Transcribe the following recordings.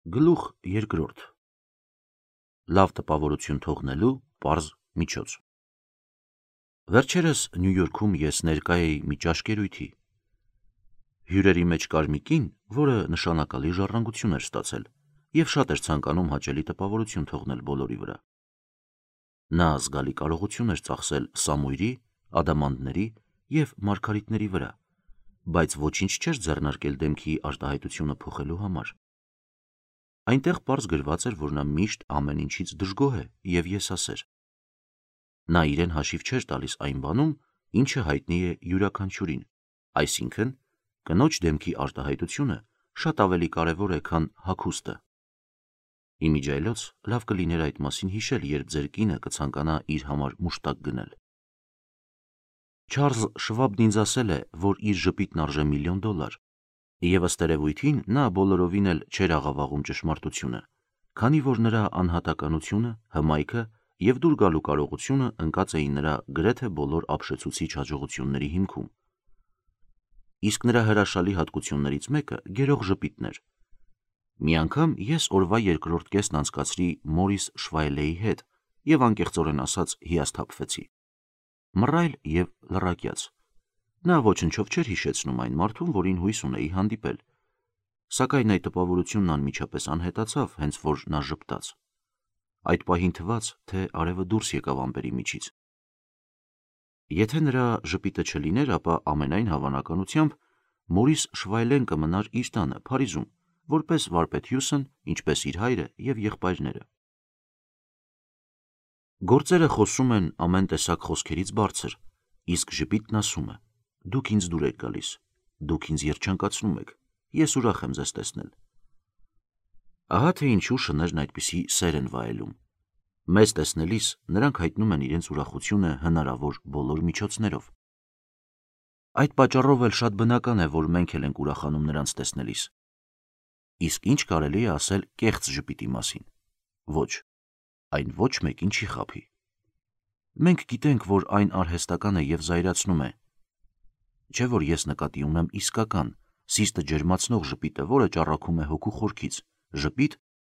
Գլուխ երկրորդ. Լավ տպավորություն թողնելու պարզ միջոց։ Վերջերս Նյու Յորքում ես ներկա էի մի ճաշկերույթի։ Հյուրերի մեջ կար մի կին, որը նշանակալի ժառանգություն էր ստացել և շատ էր ցանկանում հաճելի տպավորություն թողնել բոլորի վրա։ Նա զգալի կարողություն էր ծախսել սամույրի, ադամանդների և մարգարիտների վրա, բայց ոչինչ չէր ձեռնարկել դեմքի արտահայտությունը փոխելու համար։ Այնտեղ պարզ գրված էր, որ նա միշտ ամեն ինչից դժգոհ է և եսասեր։ Նա իրեն հաշիվ չէր տալիս այն բանում, ինչը հայտնի է յուրաքանչյուրին, այսինքն՝ կնոջ դեմքի արտահայտությունը շատ ավելի կարևոր է, քան հագուստը։ Իմիջիայլոց լավ կլիներ այդ մասին հիշել, երբ ձեր կինը կցանկանա իր համար մուշտակ գնել։ Չարլզ Շվաբն ինձ ասել է, որ իր ժպիտն արժե $1,000,000, և ըստ երևույթին նա բոլորովին էլ չէր աղավաղում ճշմարտությունը, քանի որ նրա անհատականությունը, հմայքը և դուր գալու կարողությունը ընկած էին նրա գրեթե բոլոր ապշեցուցիչ հաջողությունների հիմքում։ Իսկ նրա հրաշալի հատկություններից մեկը գերող ժպիտն էր։ Մի անգամ ես օրվա երկրորդ կեսն անցկացրի Մորիս Շվայլեի հետ և անկեղծորեն ասած հիասթափվեցի։ Մռայլ և լռակյաց։ Նա ոչնչով չէր հիշեցնում այն մարդուն, որին հույս ունեի հանդիպել, սակայն այդ տպավորությունն անմիջապես անհետացավ, հենց որ նա ժպտաց։ Այդ պահին թվաց, թե արևը դուրս եկավ ամպերի միջից։ Եթե նրա ժպիտը չլիներ, ապա ամենայն հավանականությամբ Մորիս Շվայլեն կմնար իր տանը Փարիզում, որպես վարպետ Հյուսն, ինչպես իր հայրը և եղբայրները։ Գործերը խոսում են ամեն տեսակ խոսքերից բարձր, իսկ ժպիտն ասում է. «Դուք ինձ դուր եք գալիս, դուք ինձ երջանկացնում եք, ես ուրախ եմ ձեզ տեսնել»։ Ահա թե ինչու շներն այդպիսի սեր են վայելում։ Մեզ տեսնելիս նրանք հայտնում են իրենց ուրախությունը հնարավոր բոլոր միջոցներով։ Այդ պատճառով էլ շատ բնական է, որ մենք էլ ենք ուրախանում նրանց տեսնելիս։ Իսկ ինչ կարելի է ասել կեղծ ժպիտի մասին։ Ոչ, այն ոչ մեկին չի խաբի։ Մենք գիտենք, որ այն արհեստական է և զայրացնում է։ Չէ՞ որ ես նկատի ունեմ իսկական, սիրտը ջերմացնող ժպիտը, որը ճառագում է հոգու խորքից, ժպիտ,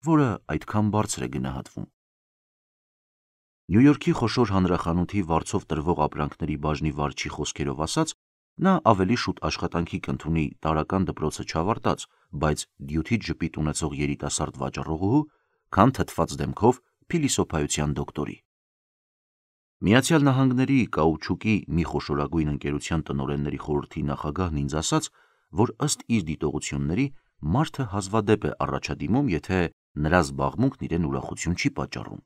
որը այդքան բարձր է գնահատվում։ Նյու Յորքի խոշոր հանրախանութի վարձով տրվող ապրանքների բաժնի վարչի խոսքերով ասած, նա ավելի շուտ աշխատանքի կընդունի տարրական դպրոցը չավարտած, բայց դյութիչ ժպիտ ունեցող երիտասարդ վաճառողուհու, քան թթված դեմքով փիլիսոփայության դոկտորի։ Միացյալ Նահանգների կաուչուկի մի խոշորագույն ընկերության տնօրենների խորհրդի նախագահն ինձ ասաց, որ ըստ իր դիտողությունների մարդը հազվադեպ է առաջադիմում, եթե նրա զբաղմունքն իրեն ուրախություն չի պատճառում։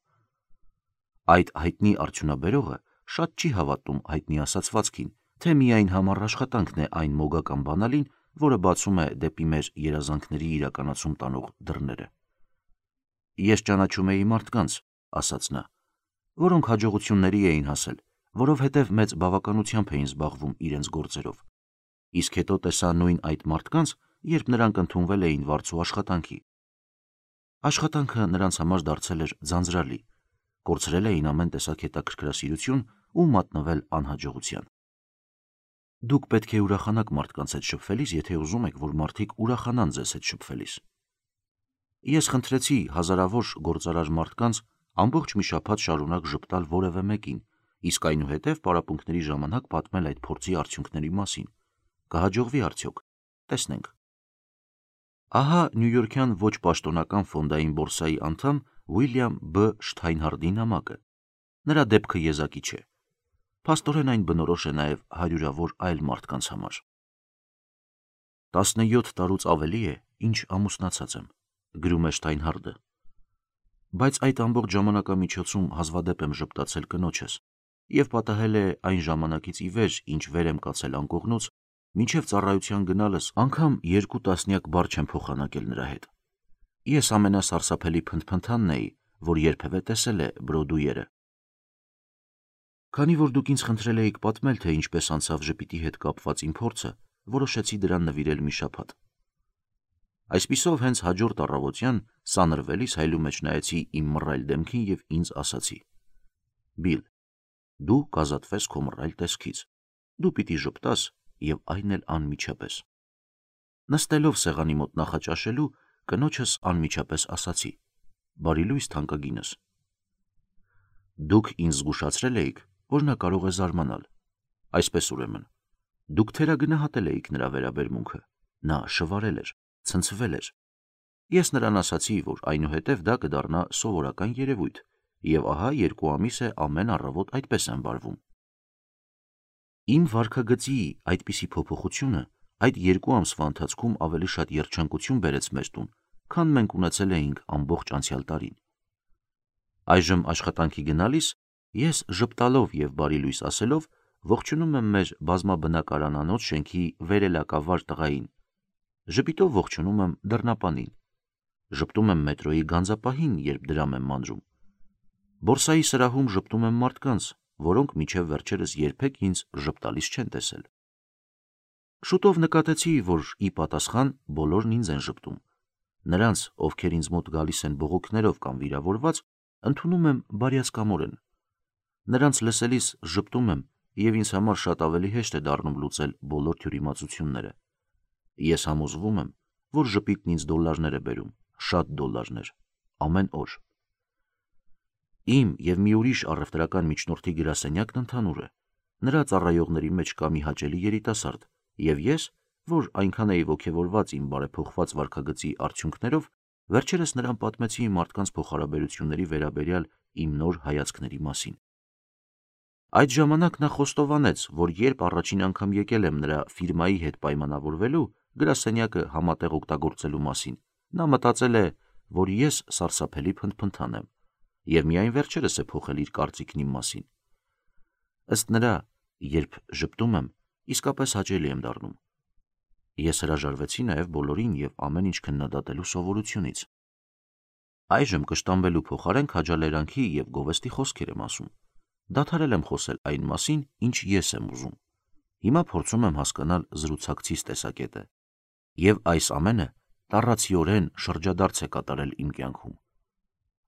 Այդ հայտնի արդյունաբերողը շատ չի հավատում հայտնի ասացվածքին, թե միայն համառ աշխատանքն է այն մոգական բանալին, որը բացում է դեպի մեր երազանքների իրականացում տանող դռները։ Ես ճանաչում էի մարդկանց, ասաց նա, որոնք հաջողությունների էին հասել, որովհետև մեծ բավականությամբ էին զբաղվում իրենց գործերով, իսկ հետո տեսա նույն այդ մարդկանց, երբ նրանք ընդունվել էին վարձու աշխատանքի։ Աշխատանքը նրանց համար դարձել էր ձանձրալի, կորցրել էին ամեն տեսակ հետաքրքրասիրություն ու մատնվել անհաջողության։ Դուք պետք է ուրախանաք մարդկանց հետ շփվելիս, եթե ուզում եք, որ մարդիկ ուրախանան ձեզ հետ շփվելիս։ Ես խնդրեցի հազարավոր գործարար մարդկանց ամբողջ մի շաբաթ շարունակ ժպտալ որևէ մեկին, իսկ այնուհետև պարապմունքների ժամանակ պատմել այդ փորձի արդյունքների մասին։ Կհաջողվի արդյոք։ Տեսնենք։ Ահա նյույորքյան ոչ պաշտոնական ֆոնդային բորսայի անդամ Ուիլյամ B. Շթայնհարդի նամակը։ Նրա դեպքը եզակի չէ։ Փաստորեն այն բնորոշ է նաև հարյուրավոր այլ մարդկանց համար։ 17 տարուց ավելի է, ինչ ամուսնացած եմ, գրում է Շթայնհարդը, բայց այդ ամբողջ ժամանակամիջոցում հազվադեպ եմ ժպտացել կնոջս և պատահել է այն ժամանակից ի վեր, ինչ վեր եմ կացել անկողնուց, մինչև ծառայության գնալս անգամ 2 տասնյակ բառ չեմ փոխանակել նրա հետ։ Ես ամենասարսափելի փնթփնթանն էի, որ երբևէ տեսել է Բրոդուերը։ Քանի որ դուք ինձ խնդրել էիք պատմել, թե ինչպես անցավ ժպիտի հետ կապված իմ փորձը, որոշեցի դրան նվիրել մի շաբաթ։ Այսպիսով հենց հաջորդ առավոտյան սանրվելիս հայլու մեջ նայեցի իմ մռայլ դեմքին և ինձ ասացի. «Բիլ, դու կազատվես քո մռայլ տեսքից, դու պիտի ժպտաս և այն էլ անմիջապես»։ Նստելով սեղանի մոտ նախաճաշելու, կնոջս անմիջապես ասացի. «Բարի լույս թանկագինս»։ Դուք ինձ զգուշացրել էիք, որ նա կարող է զարմանալ։ Այսպես ուրեմն, դուք թերագնահատել էիք նրա վերաբերմունքը, նա շվարել էր, ցնցվել էր։ Ես նրան ասացի, որ այնուհետև դա կդառնա սովորական երևույթ, եւ ահա 2 ամիս է ամեն առավոտ այդպես եմ վարվում։ Իմ վարքագծի այդպիսի փոփոխությունը այդ 2 ամսվա ընթացքում ավելի շատ երջանկություն բերեց մեր տուն, քան մենք ունեցել էինք ամբողջ անցյալ տարին։ Այժմ աշխատանքի գնալիս ես ժպտալով եւ բարի լույս ասելով ողջունում եմ մեր բազմաբնակարանանոց շենքի վերելակավար տղային, ժպիտով ողջունում եմ դռնապանին, ժպտում եմ մետրոյի գանձապահին, երբ դրամ եմ մանրում, բորսայի սրահում ժպտում եմ մարդկանց, որոնք մինչև վերջերս երբեք ինձ ժպտալիս չեն տեսել։ Շուտով նկատեցի, որ ի պատասխան բոլորն ինձ են ժպտում։ Նրանց, ովքեր ինձ մոտ գալիս են բողոքներով կամ վիրավորված, ընդունում եմ բարյացկամորեն։ Նրանց լսելիս ժպտում եմ եւ ինձ համար շատ ավելի հեշտ է դառնում լուծել բոլոր թյուրիմացությունները։ Ես համոզվում եմ, որ ժպիտն ինձ դոլարներ է բերում, շատ դոլարներ, ամեն օր։ Իմ եւ մի ուրիշ առևտրական միջնորդի գրասենյակն ընդհանուր է։ Նրա ծառայողների մեջ կա մի հաճելի երիտասարդ, եւ ես, որ այնքան էի ոգևորված իմ բարեփոխված վարքագծի արդյունքներով, վերջերս նրան պատմեցի մարդկանց փոխհարաբերությունների վերաբերյալ իմ նոր հայացքների մասին։ Այդ ժամանակ նա խոստովանեց, որ երբ առաջին անգամ եկել եմ նրա ֆիրմայի հետ պայմանավորվելու գրասենյակը համատեղ օգտագործելու մասին, նա մտածել է, որ ես սարսափելի փնթփնթան եմ, եւ միայն վերջերս է փոխել իր կարծիքն իմ մասին։ Ըստ նրա, երբ ժպտում եմ, իսկապես հաճելի եմ դառնում։ Ես հրաժարվեցի նաև բոլորին եւ ամեն ինչ քննադատելու սովորությունից։ Այժմ կշտամբելու փոխարեն քաջալերանքի եւ գովեստի խոսքեր եմ ասում։ Դադարել եմ խոսել այն մասին, ինչ ես եմ ուզում։ Հիմա փորձում եմ հասկանալ զրուցակցիս տեսակետը։ Եվ այս ամենը տառացիորեն շրջադարձ է կատարել իմ կյանքում։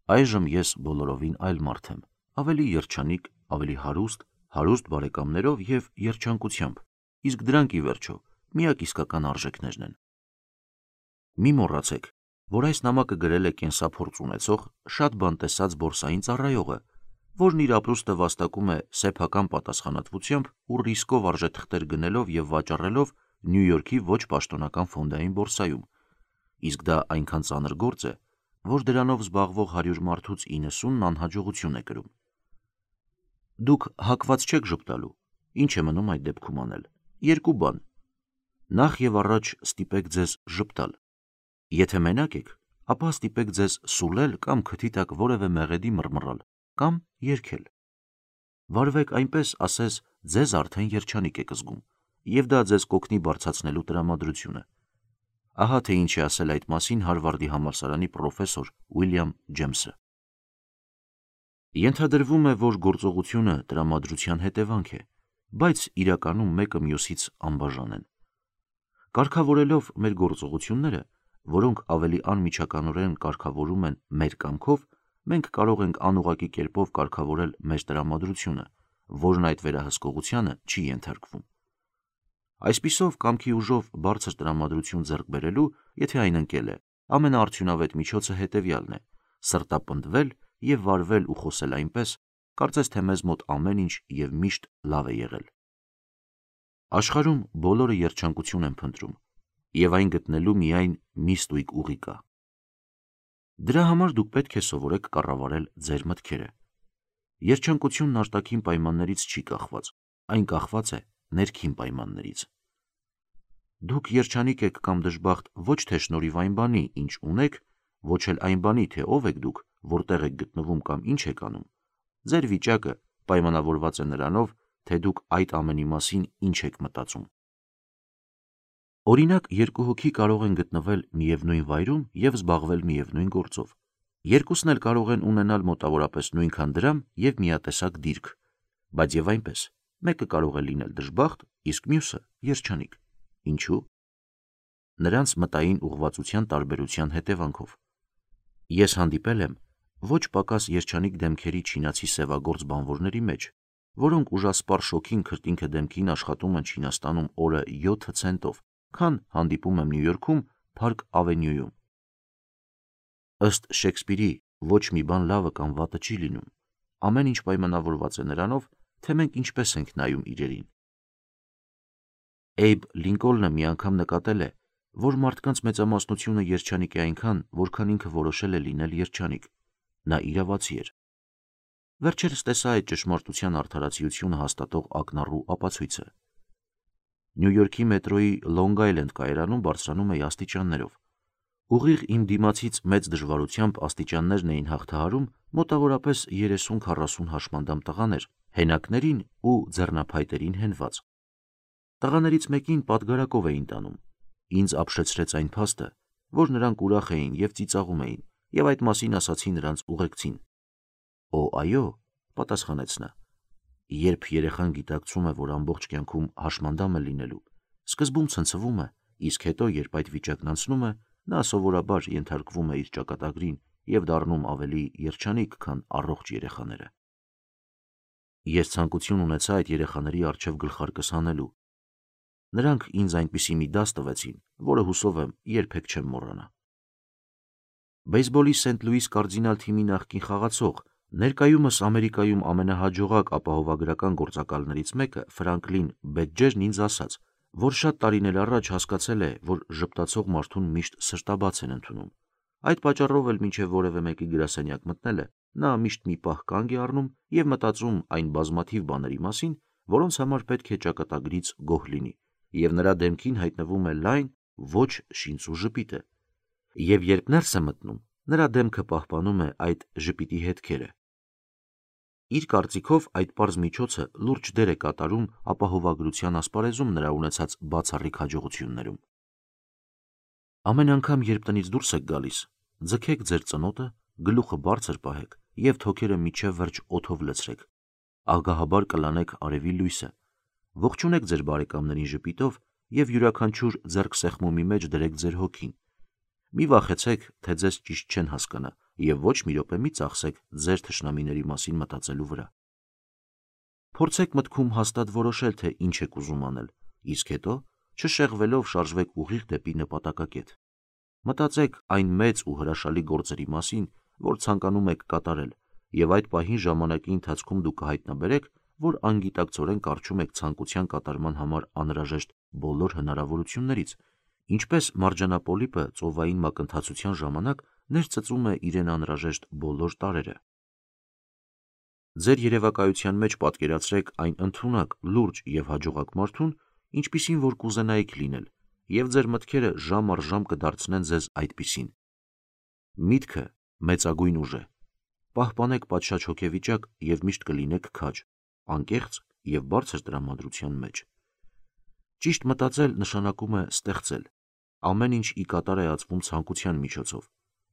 Այժմ ես բոլորովին այլ մարդ եմ, ավելի երջանիկ, ավելի հարուստ բարեկամներով եւ երջանկությամբ, իսկ դրանք ի վերջո միակ իսկական արժեքներն են։ Մի մոռացեք, որ այս նամակը գրել է կենսափորձ ունեցող շատ բան տեսած բորսային ծառայողը, որն իր ապրուստը վաստակում է սեփական պատասխանատվությամբ ու ռիսկով արժեթղթեր գնելով եւ վաճառելով Նյու Յորքի ոչ պաշտոնական ֆոնդային բորսայում, իսկ դա այնքան ծանր գործ է, որ դրանով զբաղվող 100 մարդուց 90-ն անհաջողություն է կրում։ Դուք հակված չեք ժպտալու, ինչ է մնում այդ դեպքում անել։ 2 բան. Նախ եւ առաջ ստիպեք ձեզ ժպտալ։ Եթե մենակ եք, ապա ստիպեք ձեզ սուլել կամ քթի տակ որևէ մեղեդի մռմռալ կամ երգել։ Վարվեք այնպես, ասես ձեզ արդեն երջանիկ եք զգում, եւ դա ձեզ կօգնի բարձրացնելու տրամադրությունը։ Ահա թե ինչ է ասել այդ մասին Հարվարդի համալսարանի պրոֆեսոր Ուիլյամ Ջեմսը։ Ենթադրվում է, որ գործողությունը տրամադրության հետևանք է, բայց իրականում մեկը մյուսից անբաժան են։ Կարգավորելով մեր գործողությունները, որոնք ավելի անմիջականորեն կարգավորում են մեր կամքով, մենք կարող ենք անուղղակի կերպով կարգավորել մեր տրամադրությունը, որն այդ վերահսկողությանը չի ենթարկվում։ Այսպիսով, կամքի ուժով բարձր տրամադրություն ձեռք բերելու, եթե այն ընկել է, ամենաարդյունավետ միջոցը հետևյալն է՝ սրտապնդվել եւ վարվել ու խոսել այնպես, կարծես թե մեզ մոտ ամեն ինչ եւ միշտ լավ է եղել։ Աշխարհում բոլորը երջանկություն են փնտրում, եւ այն գտնելու միայն մի ստույգ ուղի կա։ Դրա համար դուք պետք է սովորեք կառավարել ձեր մտքերը։ Երջանկությունն արտաքին պայմաններից չի կախված, այն կախված է ներքին պայմաններից։ Դուք երջանիկ եք կամ դժբախտ ոչ թե շնորհիվ այն բանի, ինչ ունեք, ոչ էլ այն բանի, թե ով եք դուք, որտեղ եք գտնվում կամ ինչ եք անում։ Ձեր վիճակը պայմանավորված է նրանով, թե դուք այդ ամենի մասին ինչ եք մտածում։ Օրինակ, 2 հոգի կարող են գտնվել միևնույն վայրում եւ զբաղվել միևնույն գործով։ Երկուսն էլ կարող են ունենալ մոտավորապես նույնքան դրամ եւ միատեսակ դիրք, բայց եւ այնպես, մեկը կարող է լինել դժբախտ, իսկ մյուսը երջանիկ։ Ինչու՞։ Նրանց մտային ուղղվածության տարբերության հետևանքով։ Ես հանդիպել եմ ոչ պակաս երջանիկ դեմքերի չինացի սևագործ բանվորների մեջ, որոնք ուժասպառ շոգին քրտինքը դեմքին աշխատում են Չինաստանում օրը 7 ցենտով, քան հանդիպում եմ Նյու Յորքում Park Avenue-ում։ Ըստ Շեքսպիրի, ոչ մի բան լավը կամ վատը չի լինում, ամեն ինչ պայմանավորված է նրանով, թե մենք ինչպես ենք նայում իրերին։ Էյբ Լինկոլնը մի անգամ նկատել է, որ մարդկանց մեծամասնությունը երջանիկ է այնքան, որքան ինքը որոշել է լինել երջանիկ։ Նա իրավացի էր։ Վերջերս տեսա այդ ճշմարտության արդարացիությունը հաստատող ակնառու ապացույցը։ Նյու Յորքի մետրոյի Լոնգ Այլենդ կայարանում բարձրանում էի աստիճաններով։ Ուղիղ իմ դիմացից մեծ դժվարությամբ աստիճաններն էին հաղթահարում մոտավորապես 30-40 հաշմանդամ տղաներ, հենակներին ու ձեռնափայտերին հենված։ Տղաներից մեկին պատգարակով էին տանում։ Ինձ ապշեցրեց այն փաստը, որ նրանք ուրախ էին և ծիծաղում էին, և այդ մասին ասացի նրանց ուղեկցին։ «Օ, այո», պատասխանեց նա, երբ երեխան գիտակցում է, որ ամբողջ կյանքում հաշմանդամ է լինելու, սկզբում ցնցվում է, իսկ հետո, երբ այդ վիճակն անցնում է, նա սովորաբար ենթարկվում է իր ճակատագրին և դառնում ավելի երջանիկ, քան առողջ երեխաները։ Ես ցանկություն ունեցա այդ երեխաների առջև գլխարկս հանելու։ Նրանք ինձ այնպիսի մի դաս տվեցին, որը հուսով եմ երբեք չեմ մոռանա։ Բեյսբոլի Սենթ Լուիս Կարդինալ թիմի նախկին խաղացող, ներկայումս Ամերիկայում ամենահաջողակ ապահովագրական գործակալներից մեկը Ֆրանկլին Բեդջերն ինձ ասաց, որ շատ տարիներ առաջ հասկացել է, որ ժպտացող մարդուն միշտ սրտաբաց են ընդունում։ Այդ պատճառով էլ մինչև որևէ մեկի գրասենյակ մտնելը, նա միշտ մի պահ կանգ է առնում և մտածում այն բազմաթիվ բաների մասին, որոնց համար պետք է ճակատագրից գոհ լինի, և նրա դեմքին հայտնվում է լայն, ոչ շինծու ժպիտը։ Եվ երբ ներս է մտնում, նրա դեմքը պահպանում է այդ ժպիտի հետքերը։ Իր կարծիքով այդ պարզ միջոցը լուրջ դեր է կատարում ապահովագրության ասպարեզում նրա ունեցած բացառիկ հաջողություններում։ Ամեն անգամ, երբ տնից դուրս եք գալիս, ձգեք ձեր ծնոտը, գլուխը բարձր պահեք և թոքերը մինչև վերջ օդով լցրեք։ Ագահաբար կլանեք արևի լույսը։ Ողջունեք ձեր բարեկամներին ժպիտով և յուրաքանչյուր ձեռքսեղմումի մեջ դրեք ձեր հոգին։ Մի վախեցեք, թե ձեզ ճիշտ չեն հասկանա, և ոչ մի րոպե մի ծախսեք ձեր թշնամիների մասին մտածելու վրա։ Փորձեք մտքում հաստատ որոշել, թե ինչ եք ուզում անել, իսկ հետո, չշեղվելով, շարժվեք ուղիղ դեպի նպատակակետ։ Մտածեք այն մեծ ու հրաշալի գործերի մասին, որ ցանկանում եք կատարել, և այդ պահին ժամանակի ընթացքում դուք կհայտնաբերեք, որ անգիտակցորեն կառչում եք ցանկության կատարման համար անհրաժեշտ բոլոր հնարավորություններից, ինչպես մարջանապոլիպը ծովային մակընթացության ժամանակ ներծծում է իրեն անհրաժեշտ բոլոր տարրերը։ Ձեր երևակայության մեջ պատկերացրեք այն ընդունակ, լուրջ և հաջողակ մարդուն, ինչպիսին որ կուզենայիք լինել, և ձեր մտքերը ժամ առ ժամ կդարձնեն ձեզ այդպիսին։ Միտքը մեծագույն ուժ է։ Պահպանեք պատշաճ հոգեվիճակ և միշտ կլինեք քաջ, անկեղծ և բարձր տրամադրության մեջ։ Ճիշտ մտածել նշանակում է ստեղծել։ Ամեն ինչ ի կատար է ածվում ցանկության միջոցով,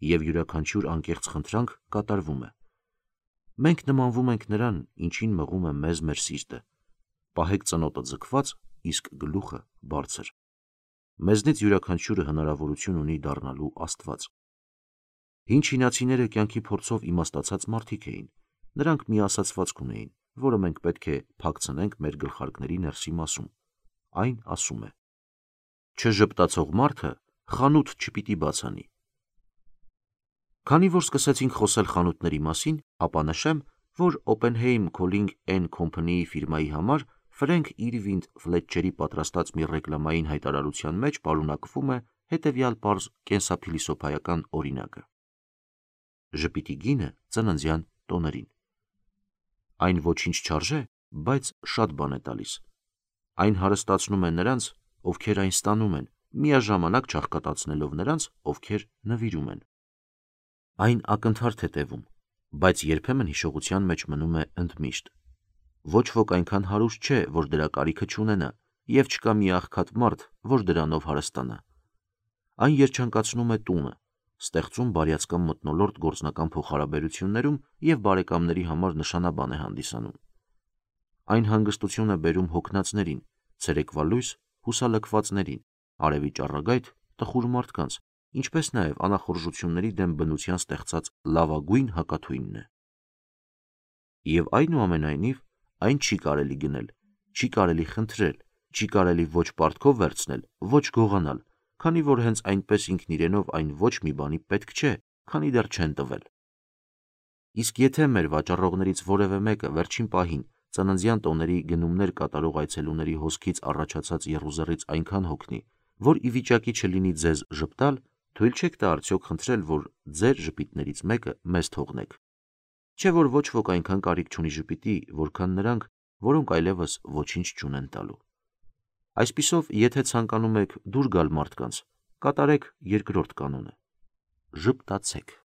և յուրաքանչյուր անկեղծ խնդրանք կատարվում է։ Մենք նմանվում ենք նրան, ինչին մղում է մեզ մեր սիրտը։ Պահեք ծնոտը ձգված, իսկ գլուխը բարձր։ Մեզնից յուրաքանչյուրը հնարավորություն ունի դառնալու Աստված։ Հին չինացիները կյանքի փորձով իմաստացած մարդիկ էին։ Նրանք մի ասացվածք ունեին, որը մենք պետք է փակցնենք մեր գլխարկների ներսի մասում։ Այն ասում է. «Չժպտացող մարդը խանութ չպիտի բաց անի»։ Քանի որ սկսեցինք խոսել խանութների մասին, ապա նշեմ, որ Oppenheim Calling and Company ֆիրմայի համար Ֆրենք Իրվինգ Ֆլետչերի պատրաստած մի ռեկլամային հայտարարության մեջ պարունակվում է հետևյալ պարզ կենսափիլիսոփայական օրինակը. ժպիտի գինը ծննդյան տոներին։ Այն ոչինչ չարժե, բայց շատ բան է տալիս։ Այն հարստացնում է նրանց, ովքեր այն ստանում են, միաժամանակ չաղքատացնելով նրանց, ովքեր նվիրում են։ Այն ակնթարթ է տևում, բայց երբեմն հիշողության մեջ մնում է ընդմիշտ։ Ոչ ոք այնքան հարուստ չէ, որ դրա կարիքը չունենա, և չկա մի աղքատ մարդ, որ դրանով հարստանա։ Այն երջանկացնում է տունը, ստեղծում բարյացակամ մթնոլորտ գործնական փոխհարաբերություններում և բարեկամների համար նշանաբան է հանդիսանում։ Այն հանգստություն է բերում հոգնածներին, ցերեկվա լույս հուսալքվածներին, արևի ճառագայթ տխուր մարդկանց, ինչպես նաև անախորժությունների դեմ բնության ստեղծած լավագույն հակաթույնն է։ Եվ այնուամենայնիվ, այն չի կարելի գնել, չի կարելի խնդրել, չի կարելի ոչ պարտքով վերցնել, ոչ գողանալ, քանի որ հենց այնպես ինքն իրենով այն ոչ մի բանի պետք չէ, քանի դեռ չեն տվել։ Իսկ եթե մեր վաճառողներից որևէ մեկը վերջին պահին ծննդյան տոների գնումներ կատարող այցելուների հոսքից առաջացած եռուզեռից այնքան հոգնի, որ ի վիճակի չլինի ձեզ ժպտալ, թույլ չեք տա արդյոք խնդրել, որ ձեր ժպիտներից մեկը մեզ թողնեք։ Չէ որ ոչ ոք այնքան կարիք չունի ժպիտի, որքան նրանք, որոնք այլևս ոչինչ չունեն տալու։ Այսպիսով, եթե ցանկանում եք դուր գալ մարդկանց, կատարեք երկրորդ կանոնը՝ ժպտացեք։